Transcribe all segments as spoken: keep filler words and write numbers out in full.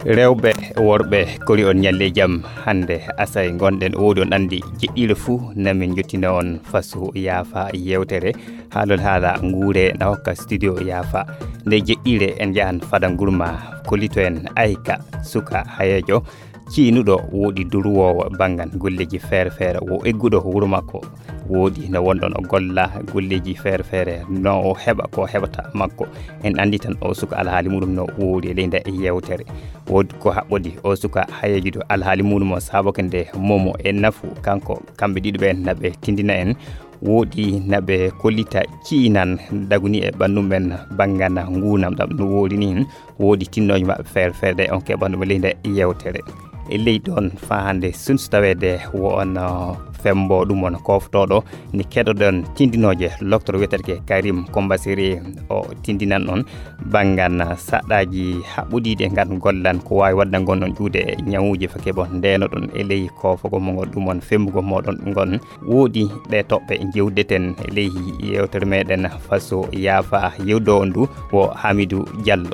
Rewɓe, worɓe, kori on ñalle jam. Hannde asay ngonɗen, woodi on anndi jeɗɗiire fuu, namin njottina on faso yaafa yewtere. Haalol haala nguure na hokka studio yaafa. Nde jeɗɗiire en njahan fada ngurma, kollito en ayka suka hayeejo ciinuɗo, woodi durwoowo banngal golleeji feere feere, wo egguɗo wuro makko. Woodi no wonɗon o golla golleeji feere feere, no o heɓa ko heɓata makko. En anndi tan o suka alhaali muɗum no woori e ley nde yewtere. Woodi ko haɓɓodi o suka hayeejuɗo alhaali muɗum o saabake nde momo e nafu kanko, kamɓe ɗiɗo ɓeen na ɓe tindina en. Woodi na ɓe kollita ciinan daguni e ɓanndu men banngal nguunam ɗam no woori ni. Woodi tinnooje maɓɓe feere feere ɗe on keɓan ɗum e ley nde yewtere. E ley ɗoon faa hannde sun so taweede wo on, uh, fembo ɗum on koftooɗo ni keɗoɗon tindinooje loktoro wiyetee Karim Kombasiri o tindinan on banngal saɗɗaaji haɓɓodiiɗi e ngal gollan ko waawi waɗde ngon on ƴuude e ñawuuji fa keɓon ndeenoɗon e ley koofogol mo ngol ɗum on fembugol moɗon ngon. Woodi ɗe toɓɓe njeewdeten e ley yewtere meɗen faso yaafa yewdo on du wo Hamidou Diallo.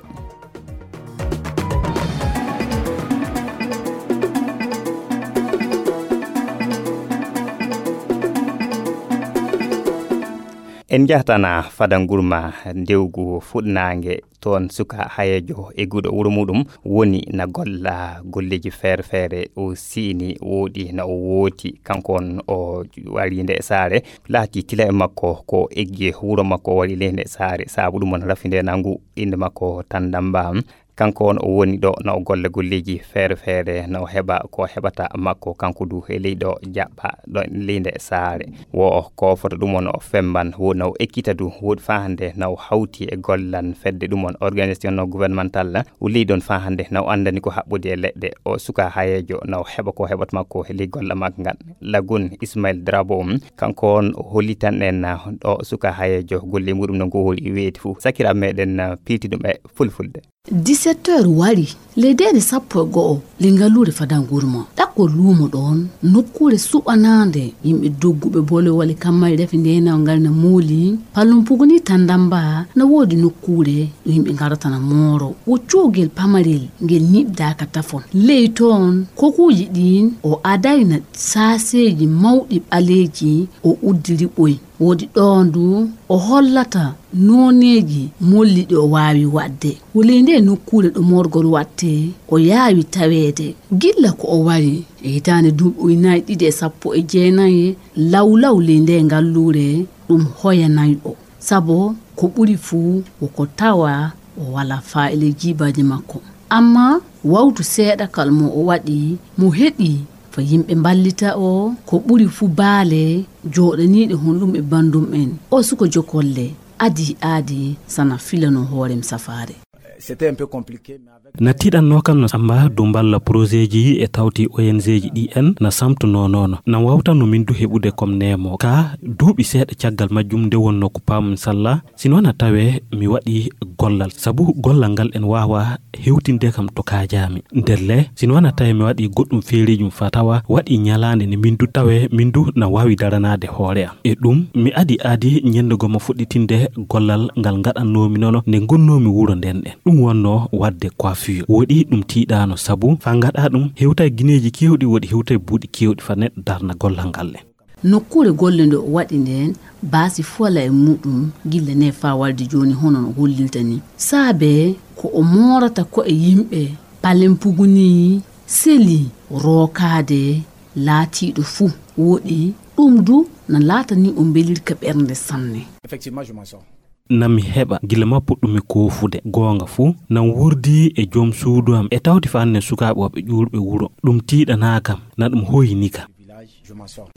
En njahtana fada ngurma ndewgu fuɗnaange toon suka hayeejo e guɗo wuro muɗum woni na golla golleeji feere feere. O siini woodi na o wooti kanko on o wari nde saare. Laati tila e makko ko eggi wuro makko wari ley nde saare. Sabu ɗum on rafi nde nangu innde makko Tandamba. Kanko on o woni ɗo na o golla golleeji feere feere na o heɓa ko heɓata makko kanko du e ley ɗo jaɓɓa ɗo ley nde saare. Wo o kofoto ɗum on o femban wo na o ekkita du woodi faa hannde na o hawti e gollan fedde ɗum on organisation no gouvernemental. O ley ɗon faa hannde na o anndani ko haɓɓodi e leɗɗe. O suka hayeejo na o heɓa ko heɓata makko e ley golla makko ngan. Lagun Ismail Drabo kanko on o hollitan en o suka hayeejo golle muɗum no ngo woni weeti fuu. Sakira meɗen pilti ɗum e fulfulde. Dix-sept heures wari, ley deede sappo e go'o, ley ngalluure Fadangurma. Ɗakkol luumo ɗoon, nokkuure suɓanaande, yimɓe dogguɓe boole wale kammari rafi ndeenaw ngal na mooli, pallum puguni Tandamba, na woodi nokkuure ɗo yimɓe ngarata na mooro. Wo cuugel pamarel ngel ñiɓdaaka tafon. Ley toon, kokuuji ɗiin o adayna saaseeji mawɗi ɓaleeji o uddiri ɓoy. Woodi ɗo ndu o hollata nooneeji molli ɗi o waawi waɗde. Wuley nde nokkuure ɗo moorgol waɗtee, o yaawi taweede. Gilla ko o wari e hitaande duuɓi ujunaaji ɗiɗi e sappo e jeenayi, lawlaw ley nde ngalluure ɗum hoyanay o. Sabo ko ɓuri fuu wo ko tawa o walaa faa'ile jiibaaji makko. Ammaa wawtu seeɗakal mo o waɗi, mo heɓi fa yimɓe mballita o, ko ɓuri fuu baale jooɗaniiɗe honɗum e banndum en. O suko jokolle, adii aadi sana filano hoorem safaare. C'était un peu compliqué, mais avec Na tiiɗannoo kam no samba du mballa projet ji e tawti O N G ji ɗi en na samtunoo noono. Na wawtanno min du heɓude kom neemo. Ka duuɓi seeɗa caggal majjum nde wonno ko paamum salla, si noon a tawee mi waɗi gollal. Sabu gollal ngal en waawa hewtinde kam to kaajaami. Ndelle, si noon a tawee mi waɗi goɗɗum feereejum fa tawa waɗi ñalaande nde min du tawee min du na waawi daranaade hoore am. E ɗum, mi adi aadi ñande goma fuɗɗitinde gollal ngal ngaɗannoomi nono nde ngonnoomi wuro nden ɗen. Ɗum wonno waɗde coiffure. Woɗi ɗum tiiɗaano sabu fa ngaɗa ɗum hewtay gineeji keewɗi woɗi hewtay buuɗi keewɗi fa neɗɗo darna gollal ngal le. Nokkuure golle nde o waɗi nden, baasi fuwala e muɗum gilla ne faa walde jooni hono no hollirta ni. Saabe ko o moorata ko e yimɓe, palen puguni, seli, rookaade, laatiiɗo fuu. Woɗi, ɗum du na laatani o mbelirka ɓernde sanne. Effectivement, je m'en sors. Nami heɓa gila ma puɗɗumi koofude goonga fuu, nam wurdi e joom suudu am e tawti fa annen sukaaɓe woɓɓe ƴuurɓe wuro. Ɗum tiiɗanaa kam, na ɗum hoyini kam.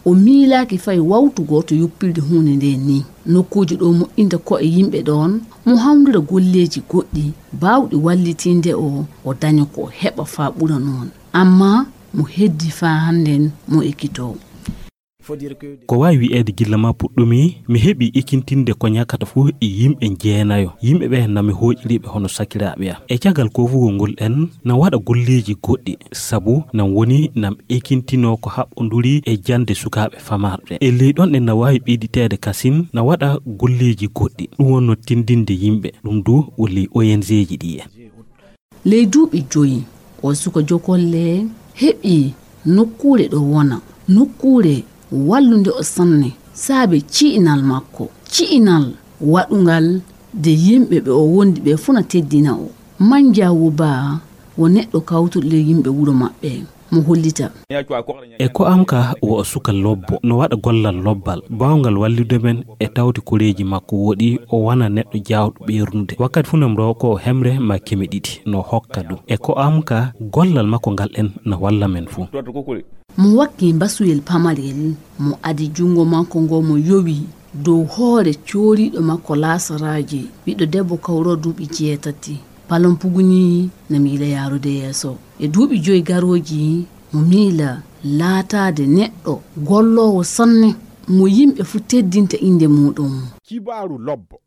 O miilaaki fay wawtu gooto yoppirde huunde nde ni. Nokkuuji ɗo moƴƴinta ko'e yimɓe ɗoon, mo hawndira golleeji goɗɗi baawɗi wallitinde o, o daña ko heɓa faa ɓura noon. Ammaa mo heddi faa hannden mo ekkitoo. Ko waawi wiyeede gilla ma puɗɗumi, mi heɓi ekintinde ko ñakata fof e yimɓe jeenayo. Yimɓe ɓe na mi hooƴiriɓe hono sakiraaɓe am. E caggal koofugol ngol en na waɗa golleeji goɗɗi, sabu nam woni nam ekintinoo ko haɓɓonduri e jannde sukaaɓe famarɓe. E ley ɗon en na waawi ɓeyditeede kasin na waɗa golleeji goɗɗi. Ɗum wonno tindinde yimɓe, ɗum du woni O N G ji ɗi en. Ley duuɓi joyi, O suka jokolle heɓi nokkuure ɗo wona, nokkuure wallunde o sanne, saabe ci'inal makko, ci'inal waɗungal de yimɓe ɓe o wondi ɓe fuu na teddina o. Manjaawo baa wo neɗɗo kawtuɗo ley yimɓe wuro maɓɓe, mo hollita. E ko am ka wo o suka lobbo, no waɗa gollal lobbal, baawngal wallude men e tawti koreeji makko woɗi, o wana neɗɗo jaawɗo ɓeernude. Wakkati fuu nam ɗo ko hemre ma keme ɗiɗi, no hokka ɗum. E ko am ka gollal makko ngal en na walla men fuu. Mo wakki mbasuyel pamarel, mo adi junngo makko ngo mo yowi dow hoore cooriiɗo makko laasaraaje, ɓiɗɗo debbo kawro duuɓi jeetati. Palon puguni na miila yaarude yeeso. E duuɓi joy garooji, mo miila laataade neɗɗo golloowo sanne, mo yimɓe fuu teddinta innde muuɗum. Kibaaru lobbo.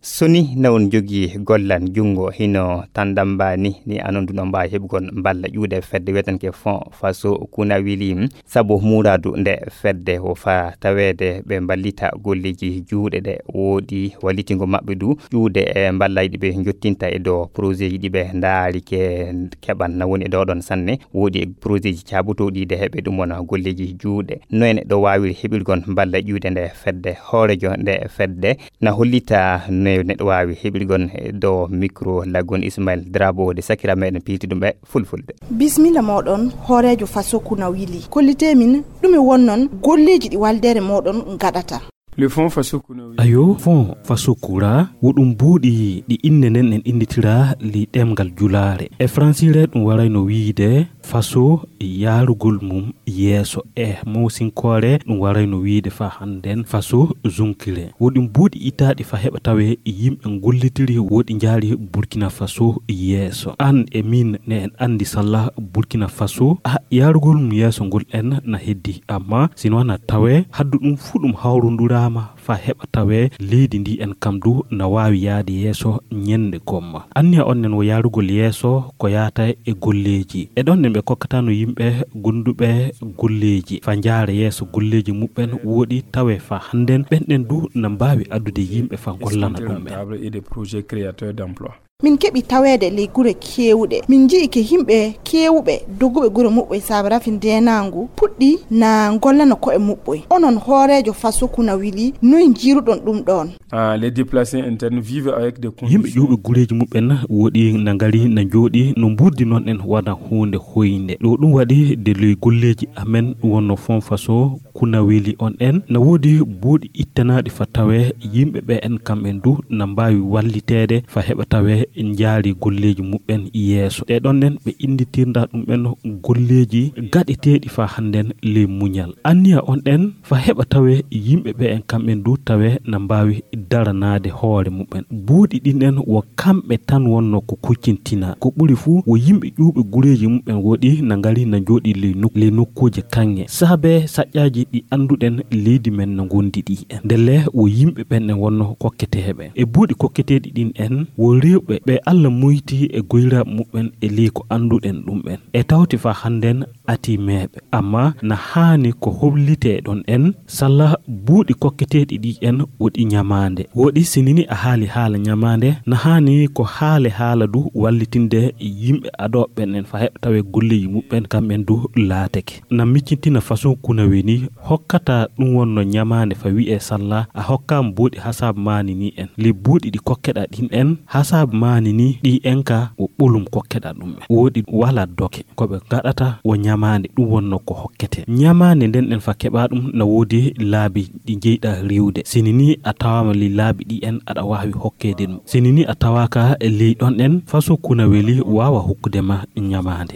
Soni na on jogi gollan junngo hino tandamba ni, ni anon duno mbaawi heɓugol mballa ƴuuɗe fedde wiyetenke Fon Faso Kunawili. Sabu muuraadu nde fedde wo faa taweede ɓe mballita golleeji juuɗe ɗe woodi wallitingo maɓɓe du ƴuuɗe e mballayɗi ɓe njottinta e dow projet ji ɗi ɓe ndaari ke keɓan na woni e dow ɗon sanne. Woodi e projet ji caabotooɗi de heɓe ɗum wona golleeji juuɗe. No e neɗɗo waawiri heɓirgon mballa ƴuuɗe nde fedde? Hoorejo nde fedde na hollita no neɗɗo waawi heɓirgon e dow micro laggon Ismail Drabo de sakira meɗen piiti ɗum e fulfulde. Bismilla moɗon, hoorejo Faso Kuna wili. Kollite min, ɗume wonnon golleji ɗi waldere moɗon gaɗata? Le Fonds Faso Kuna wili. Ayo, Fonds Faso Kura, wo ɗum buuɗi ɗi inne nden en innitira li ɗemngal julaare. E fransire ɗum warayno wiide faso yaarugol mum yeeso. E mawsinkoore ɗum warayno wiide fa hannden faso zunkire. Wo ɗum buuɗi ittaaɗi fa heɓa tawe yimɓe ngollitiri woɗi njaari Burkina Faso yeeso. An e min ne en anndi salla Burkina Faso, a yaarugol mum yeeso ngol en na heddi. Amma sino na tawe haddu ɗum fuu ɗum hawrunduraama fa heɓa tawe leydi ndi en kam du na waawi yaade yeeso ñennde gomma. Anniya on nen wo yaarugol yeeso ko yaata e golleeji. E ɗon nen ɓe kokkatano yimɓe gonduɓe golleeji fa njaara yeeso golleeji muɓɓen woɗi tawe fa hannden ɓen ɗen du na mbaawi addude yimɓe fa gollana ɗum ɓen. Table et des projets créateurs d'emploi. Min keɓi taweede ley gure keewuɗe. Min nji'i ke yimɓe keewuɓe doguɓe gure muɓɓoy saabe rafi ndeenaangu puɗɗi na ngollana ko'e muɓɓoy. Onon hooreejo Faso Kuna wili, noy njiiruɗon ɗum ɗoon? Ah, les déplacés internes vivent avec des yimɓe conditions ƴuuɓe gureeji muɓɓen woɗi na ngari na njooɗi no mburdi noon en wona huunde hoynde. Ɗo ɗum waɗi de ley golleeji amen wonno Fonds Faso Kuna wili on en na woodi buuɗi ittanaaɗi fa tawe yimɓe ɓe en kam en du na mbaawi walliteede fa heɓa tawe njaari golleeji muɓɓen yeeso. Ɗe ɗon nen ɓe innditirnda ɗum en golleeji gaɗeteeɗi fa hannden ley muñal. Anniya on ɗen fa heɓa tawe yimɓe ɓe en kam en du tawe na mbaawi daranaade hoore muɓɓen. Buuɗi ɗin en wo kamɓe tan wonno ko kuccintina. Ko ɓuri fuu wo yimɓe ƴuuɓe gureeji muɓɓen woɗi na ngari na njooɗi ley nok-, ley nokkuuje kaŋŋe. Saabe saƴƴaaji ɗi annduɗen leydi men no ngondi ɗi en. Ndelle wo yimɓe ɓen en wonno kokketeeɓe. E buuɗi kokketeeɗi ɗin en wo rewɓe ɓe Alla muyti e goyraaɓe muɓɓen e ley ko annduɗen ɗum en. E tawti fa hannden ati meeɓe. Amma na haani ko hollitee ɗon en, salla buuɗi kokketeeɗi ɗi en woɗi ñamaande. Woɗi sinini a haali haala ñamaande, na haani ko haale haala du wallitinde yimɓe adooɓe ɓen en fa heɓa tawe golleeji muɓɓen kamɓen du laatake. Na miccintina façon kuna weni hokkata ɗum wonno ñamaande fa wi'e salla a hokkaama buuɗi hasaabu maani ni en. Li buuɗi ɗi kokkeɗa ɗin en, hasaabu maani ni ɗi en ka wo ɓolum kokkeɗa ɗum en. Woɗi wala doke. Ko ɓe ngaɗata wo ñamaande, ɗum wonno ko hokkete. Ñamaande nden en fa keɓa ɗum na woodi laabi ɗi jeyɗa riwde. Sini ni a tawaama li laabi ɗi en aɗa waawi hokkeede ɗum. Sini ni a tawaaka e ley ɗon en faso kuna weli waawa hokkude ma ñamaande.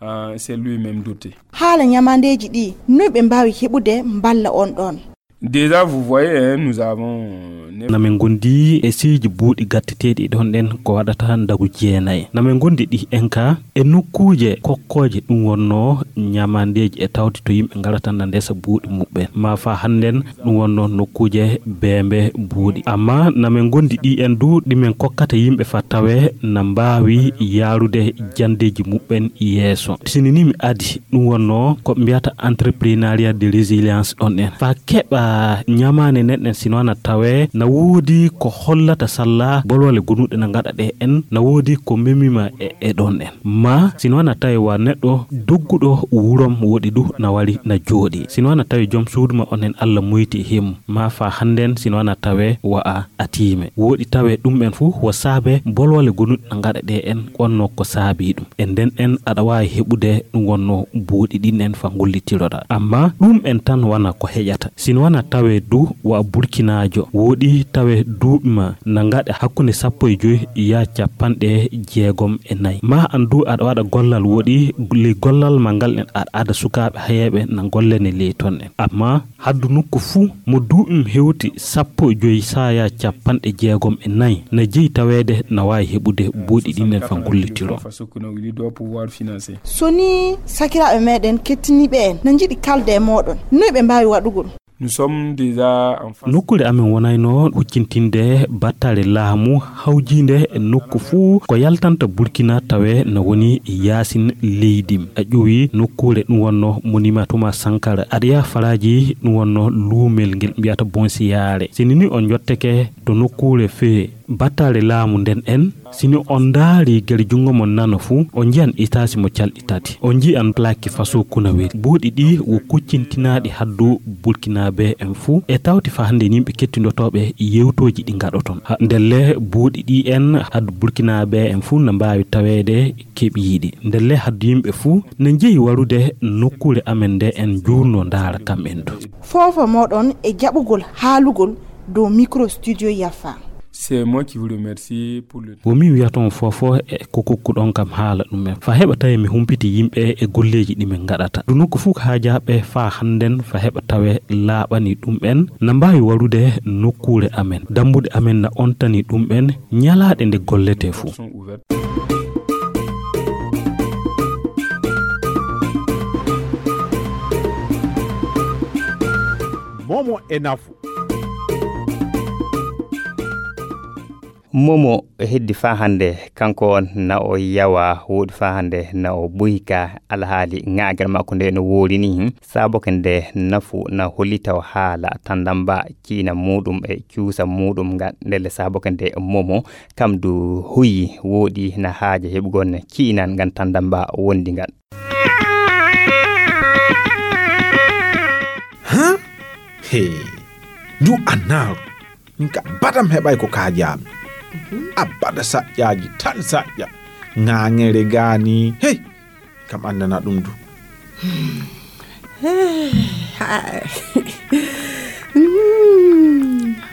Ah, c'est lui-même doté. Haala ñamaandeeji ɗi, noy ɓe mbaawi heɓude mballa on ɗon? Déjà, vous voyez, hein, nous avons neuf na min gondi e seeji buuɗi gatteteeɗi ɗon ɗen ko waɗata ndagu jeenayi. Na min gondi ɗi en ka e nokkuuje kokkooje ɗum wonno ñamandeeji e tawde to yimɓe ngarata na ndesa buuɗi muɓɓen. Ma fa hannden ɗum wonno nokkuuje beembe buuɗi. Amma na men ngondi ɗi en du ɗi men kokkata yimɓe fa tawe na mbaawi yaarude jandeeji muɓɓen yeeso. Sini ni mi adi ɗum wonno ko mbiyata entrepreneuriat de résilience ɗon en. Fa keɓa ñamaane nen en sino na tawe na woodi ko hollata salla bolwale gonuɗe na ngaɗa ɗe en na woodi ko memima e, e ɗon en. Ma sino na tawe wa neɗɗo dogguɗo wurom woɗi du na wari na jooɗi. Sino na tawe joom suudu ma on en Allah muyti him. Ma fa hannden sino na tawe wa a atiime. Woɗi tawe ɗum en fu wo saabe bolwale gonuɗe na ngaɗa ɗe en wonno ko saabi ɗum. E nden en aɗa waawi heɓude ɗum wonno buuɗi ɗin en fa ngullitiroɗa. Amma ɗum en tan wana ko heƴata. Sino wana tawe du wa burkinaajo. Woɗi tawe duuɓi ma na ngaɗa hakkunde sappo e joyi ya capanɗe jeegom e nayi. Ma an du aɗa waɗa gollal woɗi li gollal ma ngal en aɗa ada sukaaɓe hayeeɓe na gollene ley ton en. Amma haddu nokku fuu mo duuɓi mum hewti sappo e joyi saaya capanɗe jeegom e nayi na jeyi taweede na waawi heɓude buuɗi ɗin en fa gollitiro. So nii sakiraaɓe meeɗen kettiniiɓe en na njiɗi kalde e mooɗon, noy ɓe mbaawi waɗugol? Nokkuure amen wonayno huccintinde battale laamu hawjiinde e nokku fuu ko yaltanta Burkina tawe na woni yaasin leydi. A ƴuwi nokkuure ɗum wonno Monument Thomas Sankara. Aɗa yaha Faraaji ɗum wonno luumel ngel mbiyata Bonsiyaare. Sini ni on njotteke to nokkuure fee battale laamu nden en, sini on ndaari gere junngo mon nano fuu, on njiyan itaasi mo calɗi tati. On njiyan plaque faso kunaweri. Buuɗi ɗi wo kuccintinaaɗi haddu Burkinaabe en fuu. E tawti fa hannde yimɓe kettindotooɓe yewtooji ɗi ngaɗoton. Ha, ndelle buuɗi ɗi en haddu Burkinaabe en fuu na mbaawi taweede keɓiiɗi. Ndelle haddu yimɓe fuu na njeyi warude nokkuure amen nde en njuurno ndaara kam en du. Foofo mooɗon e jaɓugol haalugol dow micro studio Yafa. C'est moi qui vous remercie pour le temps. Wo min wiyata on foofo e ko kokkuɗon kam haala ɗum en. Fa heɓa tawe mi humpiti yimɓe e golleeji ɗi min ngaɗata. Ɗum nokku fuu ko haajaaɓe faa hannden fa heɓa tawe laaɓani ɗum en. Na mbaawi warude nokkuure amen. Dambuɗe amen na ontani ɗum en ñalaaɗe nde golletee fuu. Momo e nafu. Momo heddi faa hannde kanko on na o yawa woodi faa hannde na o ɓoyka alhaali ŋaagal makko nde no woori ni saboke nde nafu na hollita o haala tandamba ciina muɗum e cuusa muɗum ngal ndelle saboke nde momo kam du huyi woodi na haaja heɓugol ciinan ngan tandamba wondi ngal. Huh? He, du annaru. Min ka badam heɓay ko kaajaami. Abada saƴƴaaji tan saƴƴa. Ŋaaŋere gaani. Hey, kam anndana ɗum du.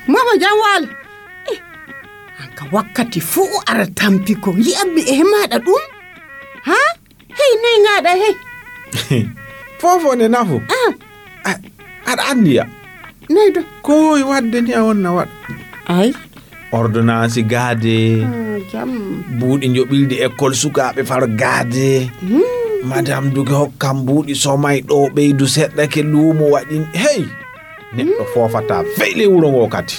Mama jam wal. An ka wakkati fuu ara tampi ko yi'ammi e maɗa ɗum. Ha? Hey, noy ngaɗa hey? Fofo ne nafu. Ah. Aɗa andiya. Noy do? Ko wowi wadde ni a wonna waɗ. Ay. Ordonnance gaade. Ah, jam. Buuɗi joɓildi école sukaaɓe far gaade. Hmm. Madame duge hokkam buuɗi somay ɗo ɓeydu seɗɗa ke luumo waɗin. Hey. Neɗɗo hmm. Fofata feyle wuro ngo kadi.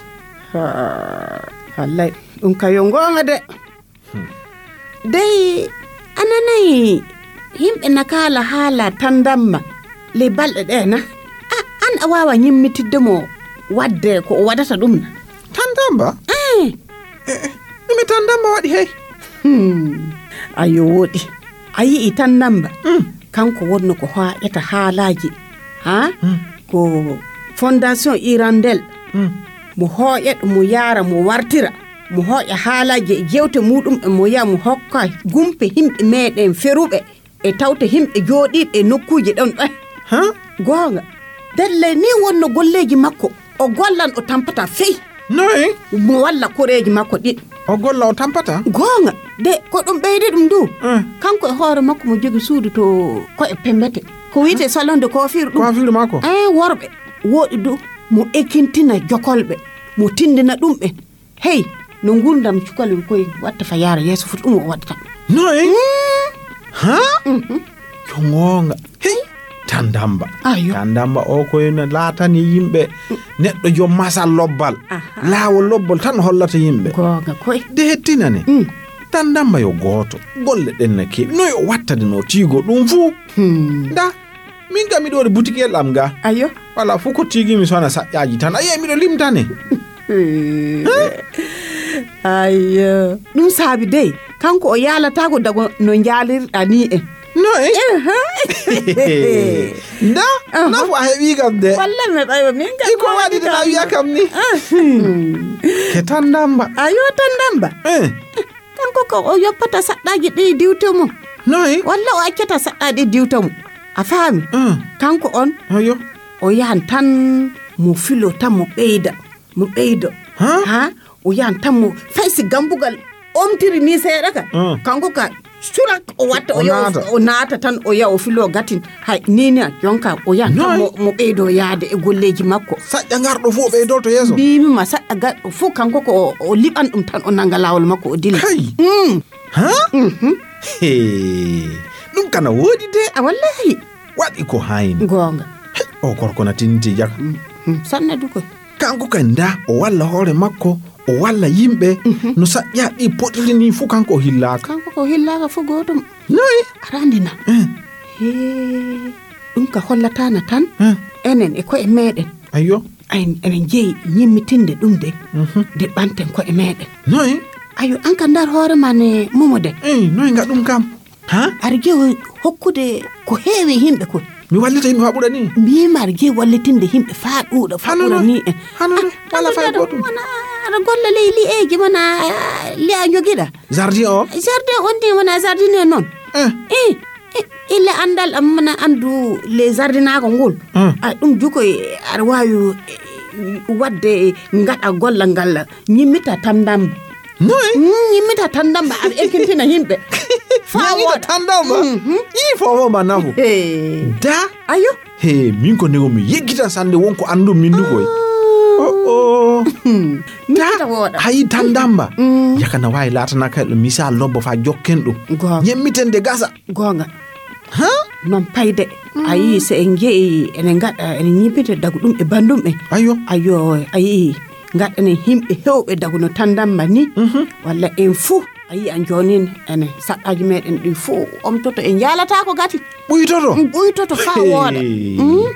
Ha. Wallay. Ɗum kayo ngonga de. Dey a nanayi yimɓe na kaala haala tandamma ley balɗe ɗe na? A an a waawa ñimmitidde mo waɗde ko o waɗata ɗum na? Tandamba? Eey. Ɗume tandamba waɗi hey? Hmm. Ayo woɗi. A yi'i tandamba? Mm. Kanko wonno ko haaƴata haalaaji. Ha? Mm. Ko fondation irandel. Mm. Mo hooƴat mo yaara mo wartira. Mo hooƴa haalaaji e jewte muuɗum e mo yaha mo hokka gumpe himɓe meeɗen feruɓe e tawte himɓe jooɗiiɓe e nokkuuje ɗon ɗon. Ha? Goonga. Ndelle ni wonno golleeji makko. O gollan o tampata fey. Noy? Mo walla koreeji makko ɗiɗ. O golla o tampata? Goonga. De ko ɗum ɓeydi ɗum du. Eh. Kanko e hoore makko mo jogi suudu to ko'e pembete. Ko wiyetee salon de coiffure ɗum. Coiffure makko? Eh, worɓe. Woɗi du mo ekintina jokolɓe. Mo tindina ɗum ɓe. Hey, no ngurdam cukalel koye watta fa yaara yeeso foti ɗum o waɗata. Noy? Hmm? Ha? Mhm. Ko goonga. Hey, Tandamba. Ayo. Tandamba o ko ene laatani yimɓe neɗɗo joom masal lobbal. Aha. Laawol lobbol tan hollata yimɓe. Goonga koy. De hettinane. Mm. Tandamba yo gooto. Golle ɗen na keewi. No yo wattade no tiigo ɗum fuu. Hmm. Nda, min kam miɗo waɗi butikiyel am ga. Ayo. Wala fuu ko tiigi mi sona saƴƴaaji tan. Ayi, miɗo limtane. Hmm. Ayo. Ɗum saabi dey. Kanko o yaalataako dago no njaalirɗa ni en. No e? Ehe. Nda, aha, nafu a heɓi kam de. Walla mi heɓayi min kam. Iko waɗi de a wiya kam ni. Ah. Ke Tandamba. Ayo Tandamba. Eh. Kanko ko o yoppata saɗɗaaji ɗi diwto mum. No e? Walla o accata saɗɗaaji ɗi diwto mum. A faami? Ah. Kanko on. Ayo. O yahan tan mo filo tan mo ɓeyda. Mo ɓeydo. Ha? Ha? O yahan tan mo fay si gambugal omtiri ni seeɗa ka. Ah. Kanko ka surak o watta o O yaha naata. O naata tan o yaha o filo gatin. Hay ni ni jonka o yahan tan Noy? Mo, mo ɓeydo yaade e golleeji makko. Saƴƴa ngarɗo fof o ɓeydolto yeeso. Mbimi ma saƴƴa garɗo fof kanko ko o, o liɓan ɗum tan o nanga laawol makko o dilla. Hay. Mm. Ha? Mhm. He. Ɗum kana woodi de. A wallahi. Waɗi ko hayni. Goonga. Hey, o korko na tinti jaka. Mm, mm. Sanna du koy. Kanko kay nda o walla hoore makko, o walla yimɓe, mhm, no saƴƴa ɗi poɗiri ni fu kanko o hillaaka. Kanko ko hillaaka fu gootum. Noy? Arandina. Eh. He, ɗum ka hollatana tan. Eh. Enen e koye meɗen. Ayyo. Ay, enen jeyi ñimmitinde ɗum de. Mhm. De ɓanten koye meɗen. Noy? Ayo, an ka ndar hoore ma ne momo de. Eh, noy nga ɗum kam? Ha? Aɗa jeyi hokkude ko heewi yimɓe kon. Mi wallita yimɓe faa ɓura ni? Mbimi aɗa jeyi wallitinde yimɓe faa ɗuuɗa, faa ɓura ni en. Hano no? Wala fay gotum. Wona aɗa golla ley li'eeji, wona li'a jogiɗa. Jardin o? Jardin on de, wona jardin en noon. Eh. Eh, eh, ille anndal am, wona anndu le jardinaago ngol. Eh. A, ɗum juko e, aɗa waawi, eh, waɗde ngaɗa golla ngal ñimmita tan ndamba. Noy? Mm, ñimmita tan ndamba, aɗa ekkintina yimɓe. Faa ñimmita wooɗa. Tan ndamba? Mhm. Ii, fofo ma nafu. Hey. Da? Ayo. He, min ko nego mi yeggitan sande wonko anndum min du koy. Ah. Oh, oh. Hmm. Da? Ñimmita wooɗa. Hayi tan ndamba. Mm. Yakana wawi laatana kay ɗo misal lobbo fa jokken ɗum. Goonga. Ñemmiten de gasa. Goonga. Ha? Noon payde. Mm. A yii, so en njeyi, ene ngaɗa, ene ñibbita dagu ɗum e banndum en. Ayo. Ayo, a yii, ngaɗanen yimɓe heewɓe dagu no tan ndamba ni. Mhm. Walla en fuu, a yii, an joonin, ene saɗɗaaji meɗen ɗi fuu omtoto, en njaalata ko gati. Ɓuytoto? Mm, ɓuytoto faa wooɗa. Hey. Mm.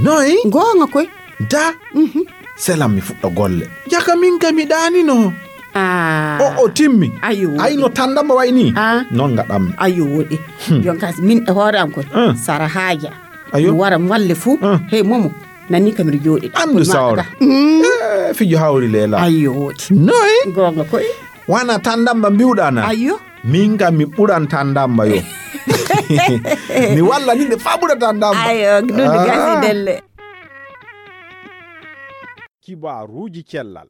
Noy? Goonga koy. Da? Mhm. Selam mi fuɗɗo golle. Jaka min ka mi ɗaanino. Ah. O, o timmi. Ayo, woɗi. Ay, no tan ndamba way ni? Ah. Noon ngaɗammi. Ayo, woɗi. Hmm. Jon kas, min e hoore am koy. Ah. Sara haaja. Ayo. Mi wara mi walle fuu. Ah. Hey, momo. Nani ka mbiɗa jooɗi. Anndu sawra. Mm. Eh, fijo hawri leela. Ayo, woɗi. Noy? Goonga koy. Wana tan ndamba mbiwɗa na? Ayo. Min kam mi ɓuran tan ndamba yo. Mi walla ni nde faa ɓura tan ndamba. Ayo, ɗum gasi delle. Kibaaruuji cellal.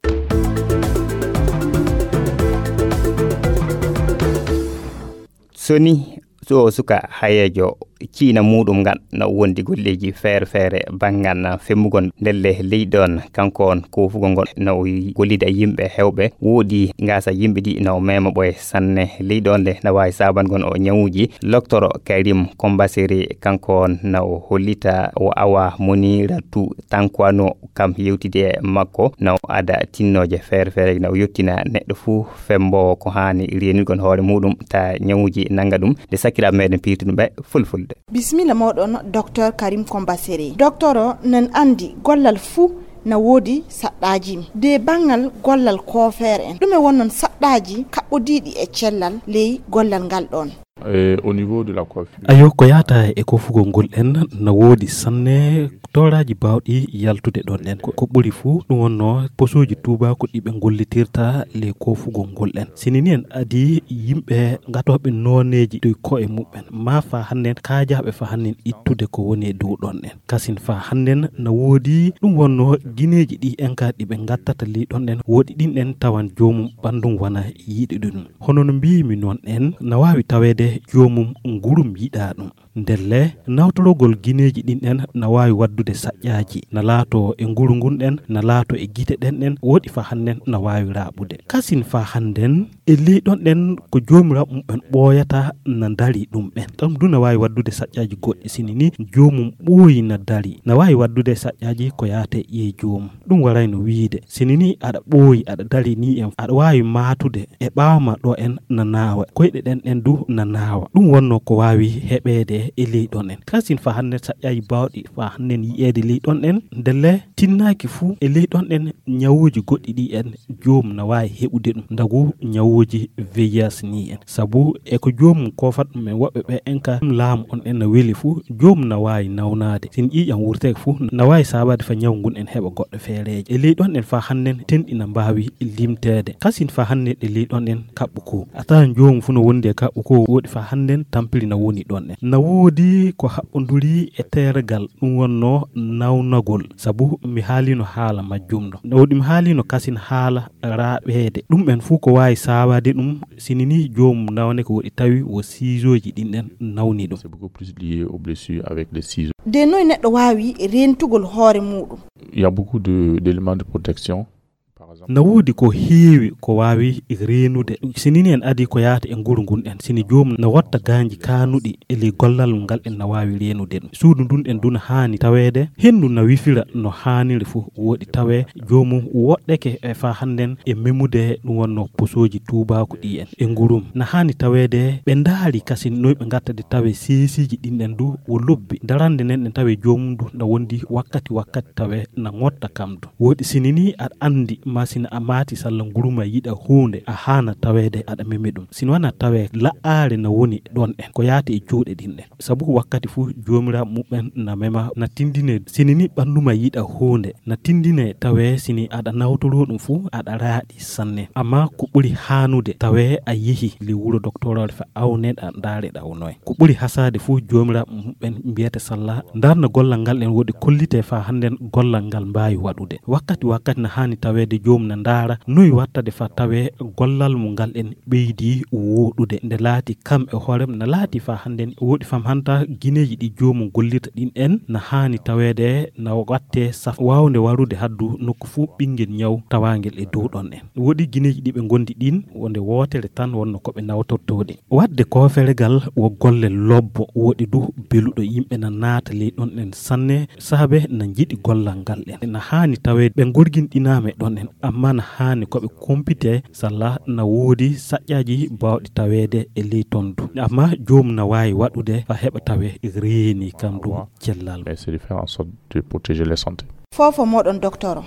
Soni so suka hayeejo ciina muuɗum ngan no wondi golleeji feere feere banngal femmugol ndelle leydi on, kanko on koofugol ngol no gollida yimɓe heewɓe, woodi ngaasa yimɓe ɗi no mema ɓoye sanne leydi on le no waawi saabangol o ñawuuji. Loktoro Karim Kombaseri kanko on no hollita o awa Moniratu Tankwano kam yewtide e makko na o ada tinnooje feere feere na o yottina neɗɗo fuu femmbowo ko haani reenirgol hoore muuɗum ta ñawuuji nannga ɗum nde sakiraaɓe meɗen piirtuɗum ɓe fulfulde. Bisimilla mooɗon, Docteur Karim Kombaseri. Docteur o nan anndi gollal fuu na woodi saɗɗaaji. De banngal gollal koofeere en, ɗume wonnon saɗɗaaji kaɓɓodiiɗi e cellal ley gollal ngal ɗoon? Eh, au niveau de la coiffure. Ayo, ko yaata e koofugol ngol en, na woodi sanne tooraaji baawɗi yaltude ɗoon en. Ko, ko ɓuri fuu, ɗum wonnoo posooji tuubaaku ɗi ɓe ngollitirta le koofugol ngol en. Sini ni en adii yimɓe ngatooɓe nooneeji ɗi koye muɓɓen, maa faa hannden kaajaaɓe faa hannden ittude ko woni e dow ɗoon en. Kasin faa hannden na woodi ɗum wonnoo gineeji ɗi en ka ɗi ɓe ngattata ley ɗoon en, woodi ɗin en tawan joomum ɓanndum wana yiɗude ɗum. Hono no mbiimi noon en, na waawi taweede joomum ngurum yiɗaa ɗum. Ndelle, nawtorogol gineeji ɗin en na waawi waddude saƴƴaaji, na laato e nguru ngun ɗen, na laato e gite ɗen ɗen, woodi faa hannden na waawi raaɓude. Kasin faa hannden, E ley ɗon ɗen ko joomiraaɓe muɓɓen ɓooyata na ndarii ɗum'en. Ɗum du na waawi waɗdude saƴƴaaji goɗɗi, sini ni joomum ɓooyi na darii. Na waawi waɗdude saƴƴaaji ko yaata e ƴiye joomum. Ɗum warayno wiide, sini ni aɗa ɓooyi, aɗa darii ni en, aɗa waawi maatude e ɓaawo ma ɗo en na naawa, koyɗe ɗen ɗen du na naawa. Ɗum wonnoo ko waawi heɓeede e ley ɗon en. Kasin faa hannden saƴƴaaji baawɗi faa hannden yi'eede ley ɗon en, ndelle tinnaaki fuu e ley ɗon en ñawuuji goɗɗi ɗi en joom na waawi heɓude ɗum, ndagu ñawuuji V I H ni en. Sabu e ko joomum koofata ɗum en woɓɓe ɓe en ka laamu on en na weli fuu, joomum na waawi nawnaade. Sin ƴiiƴam wurteeke fuu, na waawi saabaade fa ñawu ngun en heɓa goɗɗo feereeje. E ley ɗon en faa hannden tenɗi na mbaawi limteede. Kasin faa hannden e ley ɗon en kaɓɓu ko. A tawan joomum fuu no wondi e kaɓɓu ko, woɗi faa hannden tampiri na woni ɗon en. Na woodi ko haɓɓonduri e teergal, ɗum wonnoo nawnagol, sabu mi haaliino haala majjum ɗo. Na woodi mi haaliino kasin haala raaɓeede. Ɗum en fuu ko waawi saabaade ɗum, sini ni joomum nawneke woɗi tawi wo siisooji ɗin ɗen nawni ɗum. C'est beaucoup plus lié aux blessures avec les ciseaux. De noy neɗɗo waawi reentugol hoore muuɗum? Il y a beaucoup de, d'éléments de protection. Par exemple, na woodi ko heewi ko waawi reenude. Sini ni en adii ko yaata e nguru ngun en. Sini joomum na wotta gaanji kaanuɗi e ley gollal ngal en na waawi reenude ɗum. Suudu ndun en du na haani taweede. Henndu na wifira no haaniri fuu. Woɗi tawee joomum woɗɗeke e faa hannden e memude ɗum wonnoo posooji tuubaaku ɗi en. E ngurum na haani taweede ɓe ndaari kasin noy ɓe ngatta de tawee seesiiji ɗin ɗen du wo lobbi. Darande nden ɗen tawee joomum du na wondi wakkati wakkati tawee na ŋotta kam du. Woɗi sini ni aɗa anndi ma sina a maati salla nguru ma yiɗa huunde a haana taweede aɗa memi ɗum. Sini wana tawee laɓɓaare na woni ɗon en ko yaati e juuɗe ɗin ɗen. Sabu ko wakkati fuu joomiraaɓe muɓɓen na mema, na tindine. Sini ni ɓanndu ma yiɗa huunde, na tindine tawee sini aɗa nawtoroo ɗum fuu, aɗa raaɗi sanne. Amma ko ɓuri haanude tawee a yehi le wuro doktoroore fa awneɗa, ndaareɗa o noye. Ko ɓuri hasaade fuu joomiraaɓe muɓɓen mbiyete salla, ndarna gollal ngal en woɗi kollite faa hannden gollal ngal mbaawi waɗude. Wakkati wakkati na haani taweede joomum na ndaara noy wattade faa tawee gollal mo ngal en ɓeydi wooɗude. Nde laati kam e hoorem na laati faa hannden woɗi fam hanta gineeji ɗi joomum gollirta ɗin en na haani taweede na watte saf waawnde warude haddu nokku fuu ɓinngel ñaw tawaangel e dow ɗon en. Woɗi gineeji ɗi ɓe ngondi ɗin wonde wootere tan wonno ko ɓe nawtortooɗi. Waɗde kooferegal wo golle lobbo woɗi du beluɗo yimɓe na naata ley ɗon en sanne. Saabe na njiɗi gollal ngal en. Na haani tawee ɓe ngorginɗinaama e ɗon en, amma na haani ko ɓe kumpite salla na woodi saƴƴaaji baawɗi taweede e ley ton du. Amma joomum na waawi waɗude faa heɓa tawee reeni kam du cellal. Mais c'est de faire en sorte de protéger les santé. Fofo moɗon doktoro.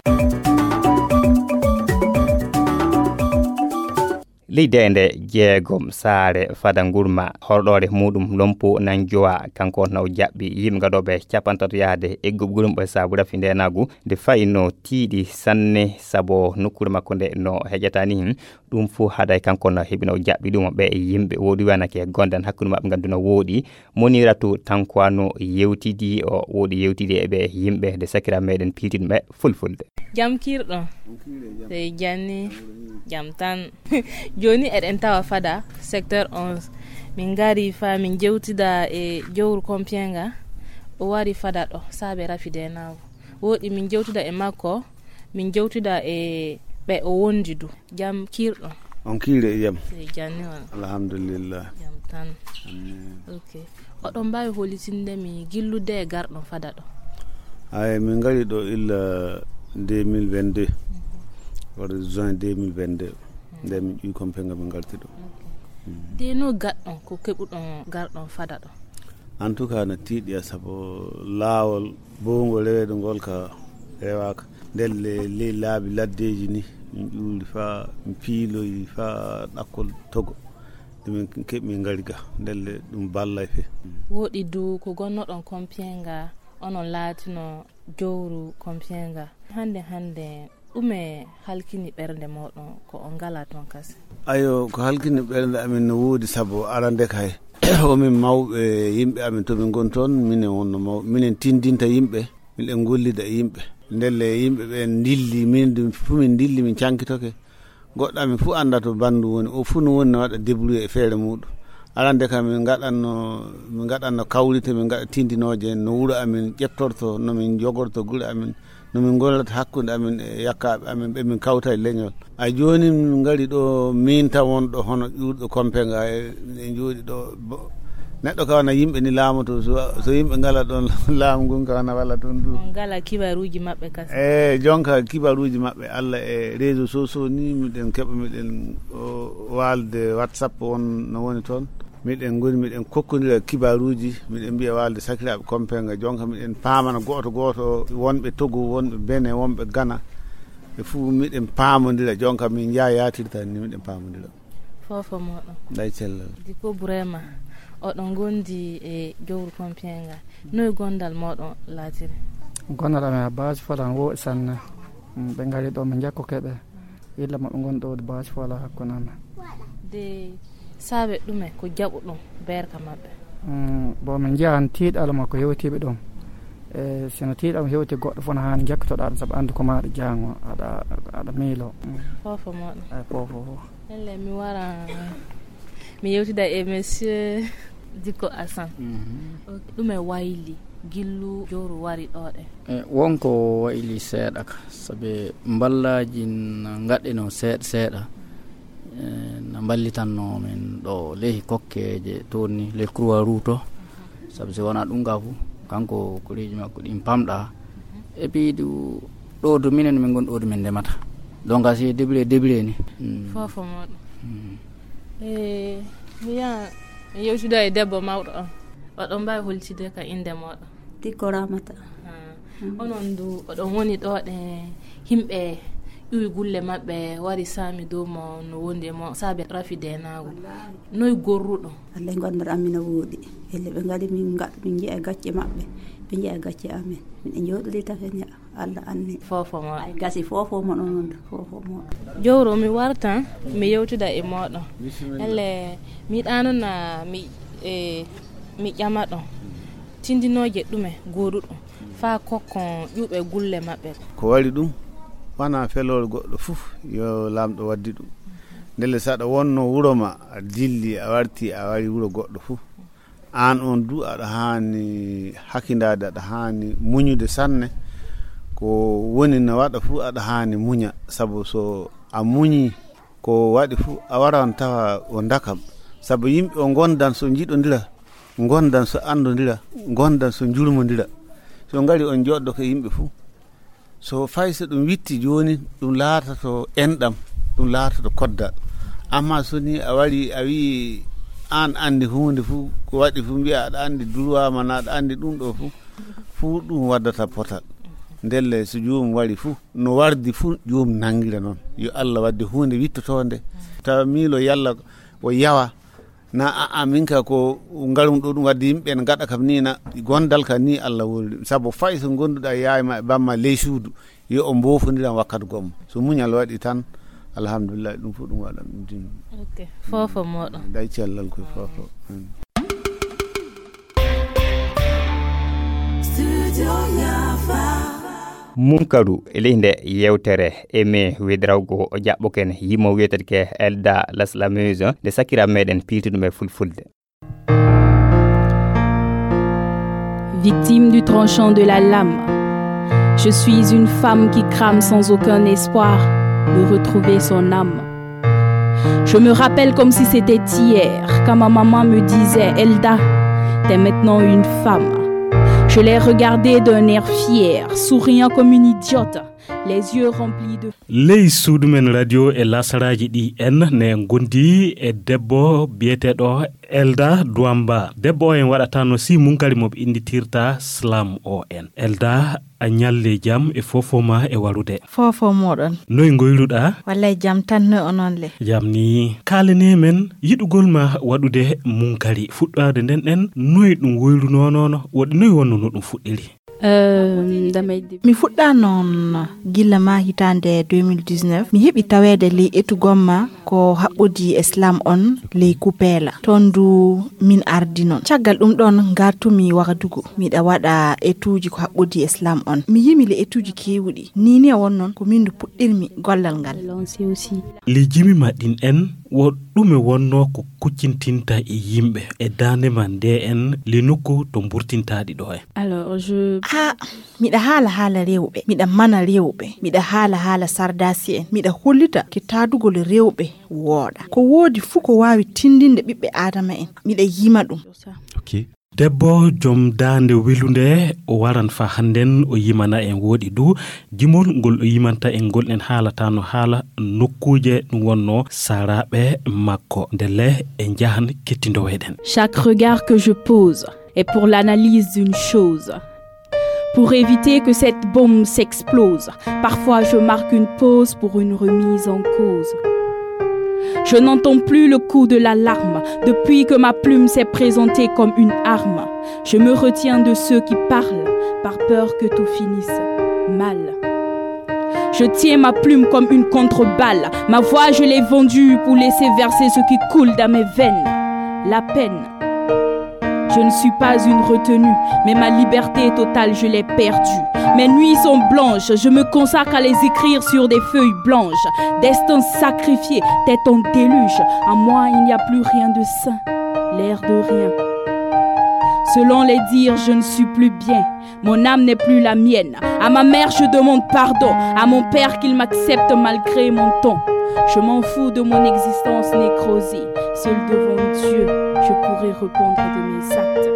Ley deende jeegom saare fada ngurma horɗoore muɗum lompo nan jowa kanko na o jaɓɓi yimɓe gaɗoɓe capantato yahde egguɓe gurum ɓe saabu rafi ndenagu nde fayno tiiɗi sanne sabu nokkure makko nde no heƴata ni. Ɗum fof haɗay kanko no heɓino jaɓɓi ɗum ɓe e yimɓe woɗi wanake gondan hakkunde maɓɓe nganndu no woɗi. Moniratu Tankwano yewtidi o woɗi yewtidi e ɓe yimɓe nde sakira meɗen piitin ɓe fulfulde. Jam kirɗo. Sey janni. Jam tan. Joni eɗen tawa fada secteur onze. Min ngari fa min jewtida e jowru Kompienga. O wari fada ɗo saabe rafi denago. Woɗi min jewtida e makko. Min jewtida e ɓe o wondi du. Jam kirɗo. On kiire e jam. Sey janni on. Alhamdulillah. Jam tan. Amin. Ok. Oɗon mbaawi holitinde mi gillude e garɗon fada ɗo? Ay, min ngari ɗo illa deux mille vingt-deux. Wala juin deux mille vingt-deux. Nde min ƴuwi Kompenga min ngarti ɗo. Ok. De no gaɗɗon ko keɓuɗon garɗon fada ɗo? En tout cas na tiiɗi sabu laawol bowngol reweede ngol ka rewaaka. Ndelle ley laabi laddeeji ni min ƴuuri fa min piiloyi fa ɗakkol togo. Min keɓi min ngari ga ndelle ɗum ballay fe. Woɗi du ko gonnoɗon Kompienga onon laatino jowru Kompienga hande hande. Ɗume halkini ɓernde moɗon ko on ngala ton kasi? Ayo, ko halkini ɓernde amin no woodi sabu arande kay omin mawɓe yimɓe amin to min ngoni toon minen wonno mawɓe minen tindinta yimɓe. Miɗen gollida e yimɓe ndelle yimɓe ɓen ndilli min ɗum fuu min ndilli min cankitoke. Goɗɗo amin fuu annda to banndum woni o fuu no woni no waɗa débrouillé e feere muɗum. Arande kam min ngaɗanno min ngaɗanno kawrite min ngaɗa tindinooje no wuro amin ƴettorto no min jogorto gure amin. No min ngollata hakkunde amin e yakkaaɓe amin ɓe min kawta e leñol. A jooni min ngari ɗo min tan wonɗo hono ƴuurɗo Kompenga e, e jooɗi ɗo. Bo-, neɗɗo ka wana yimɓe ni laamoto, so, so yimɓe ngala ɗon laamu ngun ka wana walla ɗon du. On ngala kibaruuji maɓɓe kas. E jonka kibaruuji maɓɓe Allah e réseaux sociaux ni miɗen keɓa miɗen o, waalde WhatsApp on no woni toon. Miɗen ngoni, miɗen kokkondira kibaruuji, miɗen mbiya waalde sakiraaɓe Kompenga, jonka miɗen paamana gooto gooto, wonɓe Togo, wonɓe Benin, wonɓe Ghana, ɓe fuu miɗen paamondira, jonka min njaayaatirta ni miɗen paamondira. Foofo mooɗon. Nday cellal. Diko Burema, oɗon ngondi e jowru Kompenga. Noy gondal mooɗon laatiri? Gondal amen a baasi folan wo sanne. Mm, ɓe ngari ɗo, min njakkoke ɓe. Illa maɓɓe ngon ɗo baasi fola hakkunde amen. De saabe ɗume ko jaɓuɗon beerka maɓɓe? Mm, bon, min njiyan tiiɗal makko hewtiiɓe ɗum. E, sino tiiɗal mo hewti goɗɗo fof no haani njakkotoɗaa ɗum, sabu anndu ko maaɗa jaango, aɗa, aɗa miilo. Mm. Foofo mooɗon. Ay, foofo fof. Ellen, mi wara, mi yewtida e monsieur Diko Assane. Mhm. Ok, ɗume wayli gillu jowru wari ɗo ɗe? E, wonko wayli seeɗa ka, sabe mballaaji na ngaɗɗeno seeɗa seeɗa. E, na mballitanno men ɗo ley kokkeeje toon ni, ley Croix Rouge to. Sabu si wonaa ɗum ka fu, kanko ko reeji makko ɗin pamɗa. E piidu ɗo to minen min ngon ɗo to min ndemata. Donc, si débrouillé, débrouillé ni. Mm. Foofo mooɗon. Mm. E, mi yaha, mi yewtida e debbo mawɗo on. Oɗon mbaawi holtide ka innde mooɗon? Tikko Ramata. Ah. Mm. Onon du, oɗon woni ɗo ɗe yimɓe ƴuwi gulle maɓɓe, wari saami dow mo no wondi e mo, saabe rafi deenaagu. Wallaahi. Noy gorruɗo? Alla e gondal amin no wooɗi. Elle ɓe ngari min nga-, min njiya gacce maɓɓe, ɓe njiya gacce amin. Min e jooɗori tafe nja. Alla anni. Foofo mooɗon. Ay gasi foofo mooɗon non, foofo mooɗon. Jowro, mi wartan, mi yewtida e mooɗon. Bisimilla. Elle, mi ɗaano na mi, e, mi ƴama ɗon. Tindinooje ɗume gooduɗum faa kokkon ƴuɓe gulle maɓɓe? Ko waɗi ɗum, wanaa feloore goɗɗo fof yo Laamɗo waddi ɗum. Ndelle, so aɗa wonno wuro ma, a dilli, a warti, a wari wuro goɗɗo fof, aan on du, aɗa haani hakindaade, aɗa haani muñude sanne. Ko woni no waɗa fof, aɗa haani muña, sabu so a muñii, ko waɗi fof, a waran tawa o ndakam. Sabu yimɓe o ngondan so njiɗondira, ngondan so anndondira, ngondan so njurmondira. So ngari on jooɗdo ko yimɓe fof. So fay so ɗum witti jooni, ɗum laatoto enɗam, ɗum laatoto koddal. Amma so ni a wari, a wii aan anndi huunde fof, ko waɗi fof mbiya aɗa anndi droit ma, na aɗa anndi ɗum ɗo fof, fof ɗum waddata potal. Ndelle so joomum wari fof, no wardi fof joomum nanngira noon. Yo Allah wadde huunde wittotoonde. Tawa miilo yalla o yawa. Na a, a, min ka ko ngarum ɗo ɗum wadde yimɓe ɓe ngaɗa kam ni na gondal ka ni Allah woni ɗum. Sabu fay so gonduɗa yaay ma e bamma ley suudu, yo o mbofodiran wakkati gomma. So muñal waɗi tan, alhamdulillah, ɗum fof ɗum waɗa ɗum din. Ok, foofo mooɗon. Day cellal koye foofo. Mm. Munkaru e ley nde yewtere e me wedirawgo o jaɓɓoken yimo wiyeteke Elda Laslameuse nde sakira meɗen piltuɗum e fulfulde. Victime du tranchant de la lame, je suis une femme qui crame sans aucun espoir de retrouver son âme. Je me rappelle comme si c'était hier, quand ma maman me disait : « Elda, t'es maintenant une femme. » Je l'ai regardée d'un air fier, souriant comme une idiote, les yeux remplis de... Ley suudu men radio e lasaraaji ɗi en ne ngondi e debbo biyeteeɗo Elda Duamba. Debbo o en waɗatano si munkari mo ɓe innditirta Slam o en. Elda, a ñalle jam e foofo ma e warude. Foofo mooɗon. Noy ngoyruɗa? Wallay jam tan, noy onon le? Jam ni. Kaalane men yiɗugol ma waɗude munkari. Fuɗɗaade nden ɗen, noy ɗum woyrunonono? Woɗi noy wonno no ɗum fuɗɗiri? Ehm, damay di- Mi fuɗɗa noon gilla ma hitaande deux mille dix-neuf. Mi heɓi taweede ley etugol ma ko haɓɓodi e Slam on ley Kupeela. Toon du min ardi noon. Caggal ɗum ɗoon ngartumi Wagadugu. Miɗa waɗa etuuji ko haɓɓodi e Slam on. Mi yimi le etuuji keewuɗi. Nii ne won noon ko min du puɗɗirmi gollal ngal. Ley jimi ma ɗin en, Wo ɗume wonnoo ko kuccintinta e yimɓe e daande ma nde en le nokku to mburtintaaɗi ɗo en? Alors, je... Ah, miɗa haala haala rewɓe, miɗa mana rewɓe, miɗa haala haala sardasi en, miɗa hollita ke taadugol rewɓe wooɗa. Ko woodi fuu ko waawi tindinde ɓiɓɓe Aadama en, miɗa yima ɗum. Ok. Debbo jom daande welunde, o waran fa hannden o yimana en. Wooɗi du jimol ngol o yimanta en ngol, en haalata no haala nokkuuje ɗum wonno saraaɓe makko. Ndelle en njahan kettindoweɗen. Chaque regard que je pose est pour l'analyse d'une chose. Pour éviter que cette bombe s'explose, parfois je marque une pause pour une remise en cause. Je n'entends plus le coup de l'alarme depuis que ma plume s'est présentée comme une arme. Je me retiens de ceux qui parlent par peur que tout finisse mal. Je tiens ma plume comme une contre-balle. Ma voix, je l'ai vendue pour laisser verser ce qui coule dans mes veines. La peine. Je ne suis pas une retenue, mais ma liberté totale, je l'ai perdue. Mes nuits sont blanches, je me consacre à les écrire sur des feuilles blanches. Destin sacrifié, tête en déluge. En moi, il n'y a plus rien de sain, l'air de rien. Selon les dires, je ne suis plus bien. Mon âme n'est plus la mienne. À ma mère, je demande pardon. À mon père, qu'il m'accepte malgré mon ton. Je m'en fous de mon existence nécrosée. Seul devant Dieu, je pourrai répondre de mes actes.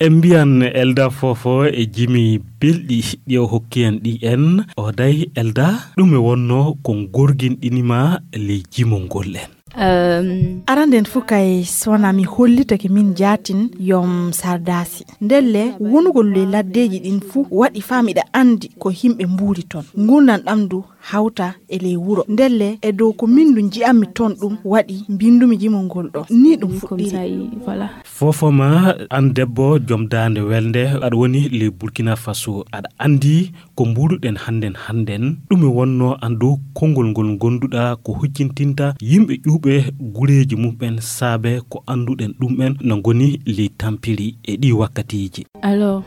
En mbiyan Elda Fofo e jimi belɗi ɗi o hokki en ɗi en. O day Elda, ɗume wonno ko gorginɗini ma ley jimol ngol en? Euh, Aranden fof kay, so wonaa mi hollitake min jaatin yom sardasi. Ndelle, wonugol ley laddeeji ɗin fof waɗi faa miɗa anndi ko yimɓe mbuuri toon. Nguurndam ɗam ndu hawta e ley wuro. Ndelle, e dow ko min ndu nji'ammi toon ɗum waɗi mbinndumi jimol ngol ɗo. Ni ɗum fuɗɗiri. Fofo ma an debbo jom daande welnde, aɗa woni ley Burkina Faso. Aɗa anndi ko mbuuruɗen hannden hannden, ɗume wonnoo an dow konngol ngol ngonduɗaa ko hujjintinta yimɓe ƴuuɓe gureeji mum'en saabe ko annduɗen ɗum'en no ngoni ley tampiri e ɗii wakkatiiji? Alors,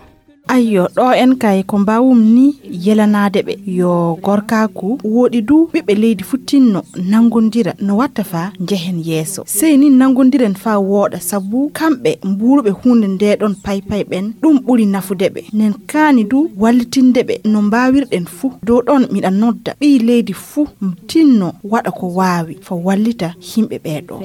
ayyo, ɗo en kay ko mbaawum ni yelanaade ɓe yo gorkaaku wooɗi du ɓiɓɓe leydi fuu tinno nanngondira no watta faa njehen yeeso. Sey ni nanngondiren faa wooɗa sabu kamɓe mbuuruɓe huunde nde ɗon paypay ɓen, ɗum ɓuri nafude ɓe. Nen kaani du wallitinde ɓe no mbaawirɗen fuu. Dow ɗon miɗa nodda ɓii leydi fuu tinno waɗa ko waawi faa wallita yimɓe ɓee ɗoo.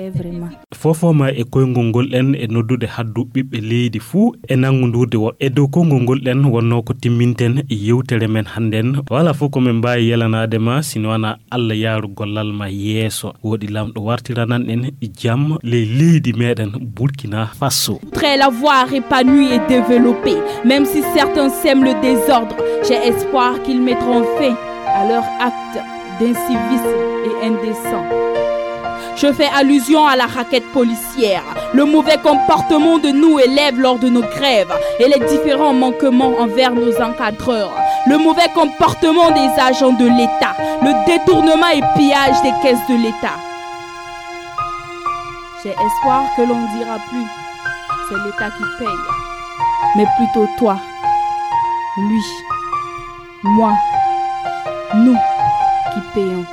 Fofo ma e koyngol ngol en e noddude haddu ɓiɓɓe leydi fuu e nanngondurde wo. E dow konngol ngol en wonnoo ko timminten yewtere men hannden. Wala fof ko min mbaawi yelanaade ma, sino wonaa Allah yaaru gollal ma yeeso. Wooɗi Laamɗo wartiranan en jam ley leydi meɗen Burkina Faso. Très la voix épanouie et développée, même si certains sèment le désordre, j'ai espoir qu'ils mettront fin à leur acte d'incivisme et indécent. Je fais allusion à la raquette policière, le mauvais comportement de nos élèves lors de nos grèves et les différents manquements envers nos encadreurs, le mauvais comportement des agents de l'État, le détournement et pillage des caisses de l'État. J'ai espoir que l'on dira plus, c'est l'État qui paye, mais plutôt toi, lui, moi, nous qui payons.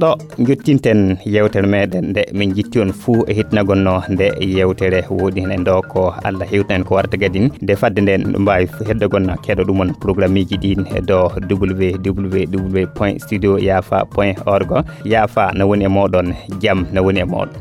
Ɗo njottinten yewtere meɗen nde min jitti on fuu e hitnagol no nde yewtere. Wooɗi heen ɗo ko Allah hewtan en ko warata gadin. Nde fadde nden ɗum mbaawi heddogon keɗo ɗum on programmeeji ɗin e ɗo www point studio yafa point org. Yafa na woni e moɗon, jam na woni e moɗon.